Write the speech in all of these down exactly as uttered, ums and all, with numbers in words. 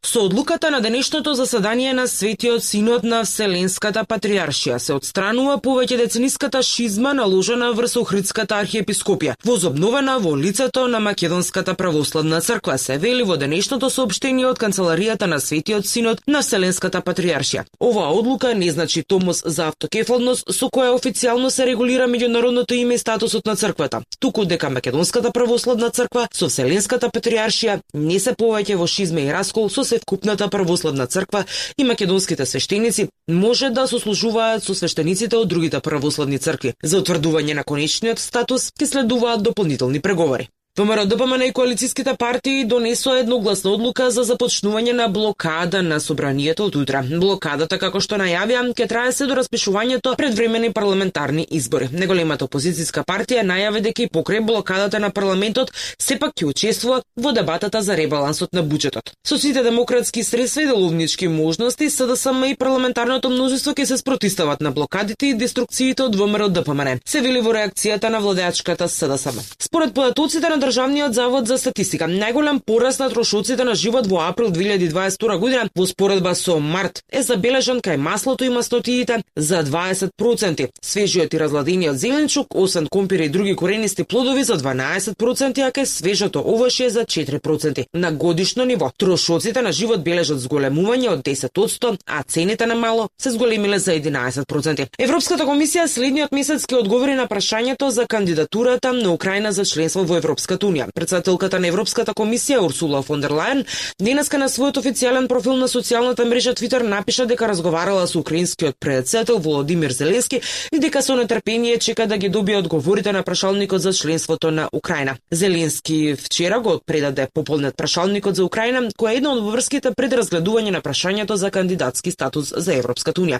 Со одлуката на денешното заседание на Светиот Синод на Вселенската патриаршија се отстранува повеќе децениската шизма наложена врз Охридската архиепископија, возобновена во лицето на Македонската православна црква, се вели во денешното соопштение од канцеларијата на Светиот Синод на Вселенската патриаршија. Оваа одлука не значи томос за автокефалност со која официјално се регулира меѓународното име и статусот на црквата, туку дека Македонската православна црква со Вселенската патриаршија не се повеќе во шизма и раскол со севкупната православна црква и македонските свештеници може да сослужуваат со свештениците од другите православни цркви. За утврдување на конечниот статус ќе следуваат дополнителни преговори. ВМРО Д П М Н и коалицијските партии донесоа едногласна одлука за започнување на блокада на собранието од утре. Блокадата, како што најавија, ќе трае се до распишувањето предвремени парламентарни избори. Неголемата опозицијска партија најави дека и покрај блокадата на парламентот сепак ќе учествува во дебатата за ребалансот на буџетот. Со сите демократски средства и деловнички можности, С Д С М и парламентарното мнозинство ќе се спротивстават на блокадите и деструкциите од ВМРО Д П М Н, се вели во реакцијата на владеачката С Д С М. Според податоците на Државниот завод за статистика, најголем пораст на трошоците на живот во април две илјади дваесет и втора година во споредба со март е забележан кај маслото и мастотиите за дваесет проценти, свежиот и разладениот зеленчук, освен компир и други коренисти плодови за дванаесет проценти, а кај свежото овошје за четири проценти. На годишно ниво, трошоците на живот бележат зголемување од десет одсто, а цените на мало се зголемиле за единаесет проценти. Европската комисија следниот месец ќе одговори на прашањето за кандидатурата на Украина за членство во Европската унија. Претседателката на Европската комисија Урсула фон дер Лајен денеска на својот официјален профил на социјалната мрежа Твитер напиша дека разговарала со украинскиот претседател Володимир Зеленски и дека со нетрпение чека да ги добие одговорите на прашалникот за членството на Украина. Зеленски вчера го предаде пополнет прашалникот за Украина, која е една од врските пред разгледување на прашањето за кандидатски статус за Европската унија.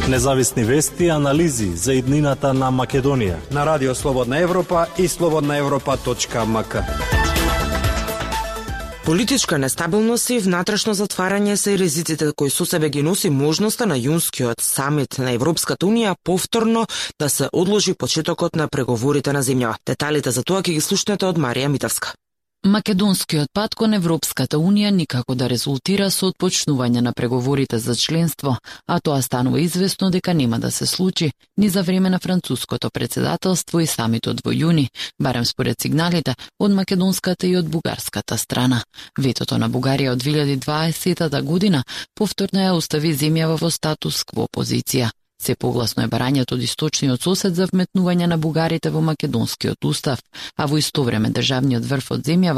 Независни вести и анализи за иднината на Македонија на Радио Слободна Европа и слободна европа точка ем ка. Политичка нестабилност и внатрешно затварање се ризиците кои со себе ги носи можноста на јунскиот самит на Европската унија повторно да се одложи почетокот на преговорите на земјава. Деталите за тоа ќе ги слушнете од Марија Митевска. Македонскиот пат кон Европската унија никако да резултира со отпочнување на преговорите за членство, а тоа станува известно дека нема да се случи ни за време на француското претседателство и самитот во јуни, барем според сигналите од македонската и од бугарската страна. Ветото на Бугарија од две илјади дваесета година повторно ја остави земјава во статус кво позиција. Се погласно е барањето од источниот сосед за вметнување на бугарите во македонскиот устав, а во исто време државниот врв од земјава